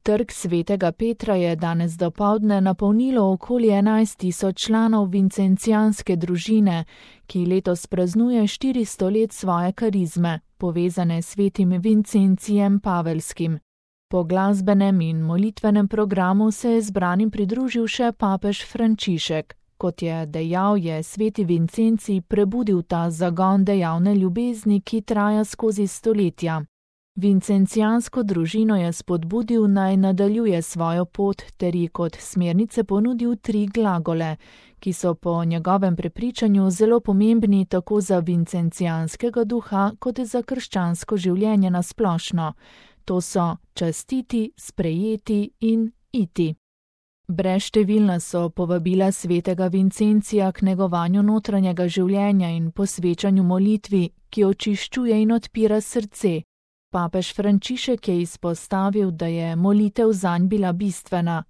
Trg svetega Petra je danes dopoldne napolnilo okoli 11.000 članov vincencijanske družine, ki letos praznuje 400 let svoje karizme, povezane s svetim Vincencijem Pavelskim. Po glasbenem in molitvenem programu se je zbranim pridružil še papež Frančišek. Kot je dejal, je sveti Vincencij prebudil ta zagon dejavne ljubezni, ki traja skozi stoletja. Vincencijansko družino je spodbudil, naj nadaljuje svojo pot ter ji kot smernice ponudil 3 glagole, ki so po njegovem prepričanju zelo pomembni tako za vincencijanskega duha kot za krščansko življenje na splošno. To so častiti, sprejeti in iti. Brezštevilna so povabila svetega Vincencija k negovanju notranjega življenja in posvečanju molitvi, ki očiščuje in odpira srce. Papež Frančišek je izpostavil, da je molitev zanj bila bistvena.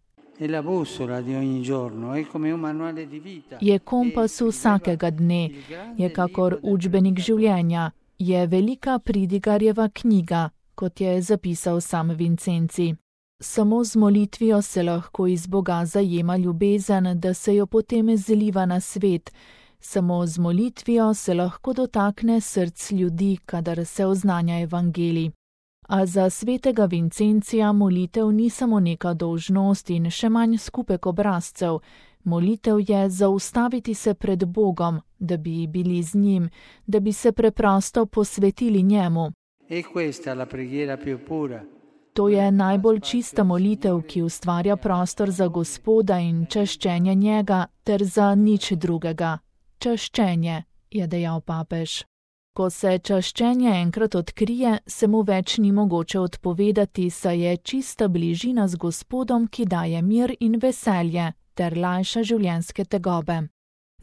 Je kompas vsakega dne, je kakor učbenik življenja, je velika pridigarjeva knjiga, kot je zapisal sam Vincencij. Samo z molitvijo se lahko iz Boga zajema ljubezen, da se jo potem zliva na svet. Samo z molitvijo se lahko dotakne src ljudi, kadar se oznanja evangelij. A za svetega Vincencija molitev ni samo neka dolžnost in še manj skupek obrazcev. Molitev je zaustaviti se pred Bogom, da bi bili z njim, da bi se preprosto posvetili njemu. To je najbolj čista molitev, ki ustvarja prostor za Gospoda in čaščenje njega ter za nič drugega. Čaščenje, je dejal papež. Ko se čaščenje enkrat odkrije, se mu več ni mogoče odpovedati, saj je čista bližina z Gospodom, ki daje mir in veselje ter lajša življenjske tegobe.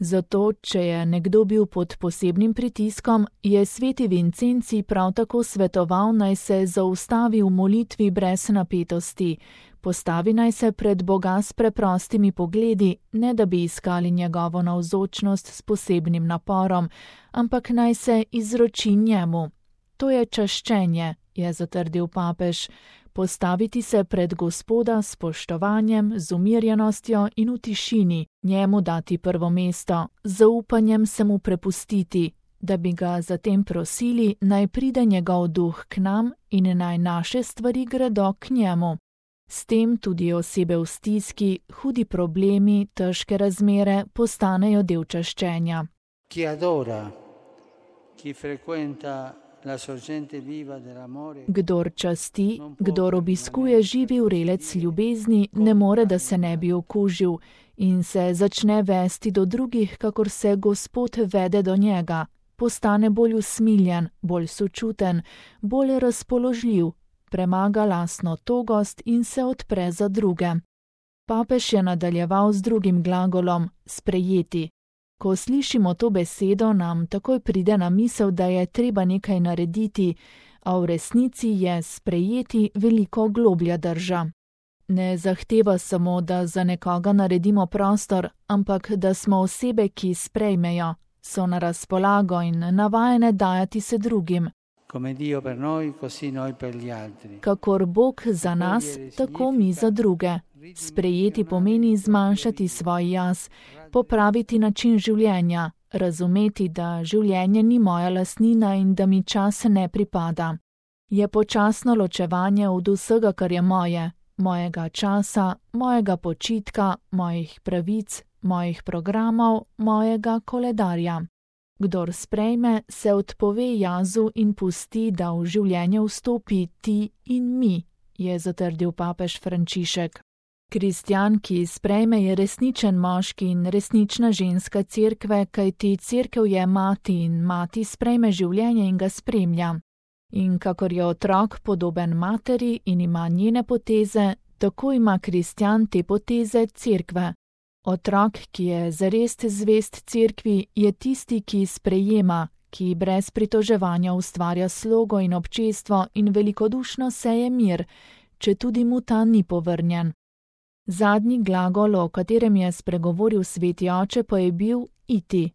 Zato, če je nekdo bil pod posebnim pritiskom, je sveti Vincencij prav tako svetoval, naj se zaustavi v molitvi brez napetosti, postavi naj se pred Boga s preprostimi pogledi, ne da bi iskali njegovo navzočnost s posebnim naporom, ampak naj se izroči njemu. To je čaščenje, je zatrdil papež. Postaviti se pred Gospoda s spoštovanjem, z umirjenostjo in v tišini, njemu dati prvo mesto, z zaupanjem se mu prepustiti, da bi ga zatem prosili, naj pride njegov duh k nam in naj naše stvari gredo k njemu. S tem tudi osebe v stiski, hudi problemi, težke razmere postanejo del čaščenja. Kdor časti, kdor obiskuje živi vrelec ljubezni, ne more, da se ne bi okužil in se začne vesti do drugih, kakor se Gospod vede do njega. Postane bolj usmiljen, bolj sočuten, bolj razpoložljiv, premaga lastno togost in se odpre za druge. Papež je nadaljeval z drugim glagolom sprejeti. Ko slišimo to besedo, nam takoj pride na misel, da je treba nekaj narediti, a v resnici je sprejeti veliko globlja drža. Ne zahteva samo, da za nekoga naredimo prostor, ampak da smo osebe, ki sprejmejo, so na razpolago in navajene dajati se drugim. Kakor Bog za nas, tako mi za druge. Sprejeti pomeni zmanjšati svoj jaz, popraviti način življenja, razumeti, da življenje ni moja lastnina in da mi čas ne pripada. Je počasno ločevanje od vsega, kar je moje, mojega časa, mojega počitka, mojih pravic, mojih programov, mojega koledarja. Kdor sprejme, se odpove jazu in pusti, da v življenje vstopi ti in mi, je zatrdil papež Frančišek. Kristjan, ki sprejme, je resničen moški in resnična ženska cerkve, kajti cerkev je mati in mati sprejme življenje in ga spremlja. In kakor je otrok podoben materi in ima njene poteze, tako ima kristjan te poteze cerkve. Otrok, ki je zares zvest cerkvi, je tisti, ki sprejema, ki brez pritoževanja ustvarja slogo in občestvo in velikodušno seje mir, če tudi mu ta ni povrnjen. Zadnji glagol, o katerem je spregovoril sveti oče, pa je bil iti.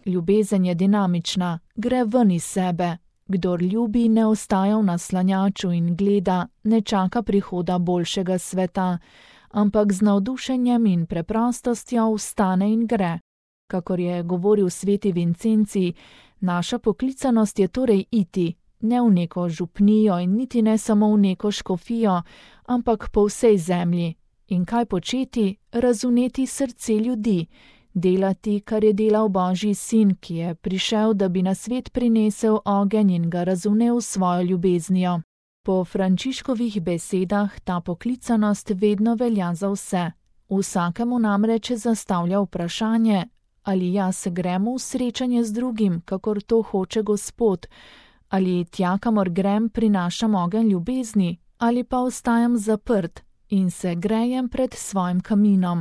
Ljubezen je dinamična, gre ven iz sebe. Kdor ljubi, ne ostaja v naslanjaču in gleda, ne čaka prihoda boljšega sveta, ampak z navdušenjem in preprostostjo vstane in gre. Kakor je govoril sveti Vincenci, naša poklicanost je torej iti, ne v neko župnijo in niti ne samo v neko škofijo, ampak po vsej zemlji. In kaj početi? Razumeti srce ljudi, delati, kar je delal Božji sin, ki je prišel, da bi na svet prinesel ogenj in ga razumel svojo ljubeznijo. Po Frančiškovih besedah ta poklicanost vedno velja za vse. Vsakemu namreč zastavlja vprašanje, ali jaz grem v srečanje z drugim, kakor to hoče Gospod, ali tja, kamor grem, prinašam ogenj ljubezni, ali pa ostajam zaprt in se grejem pred svojim kaminom.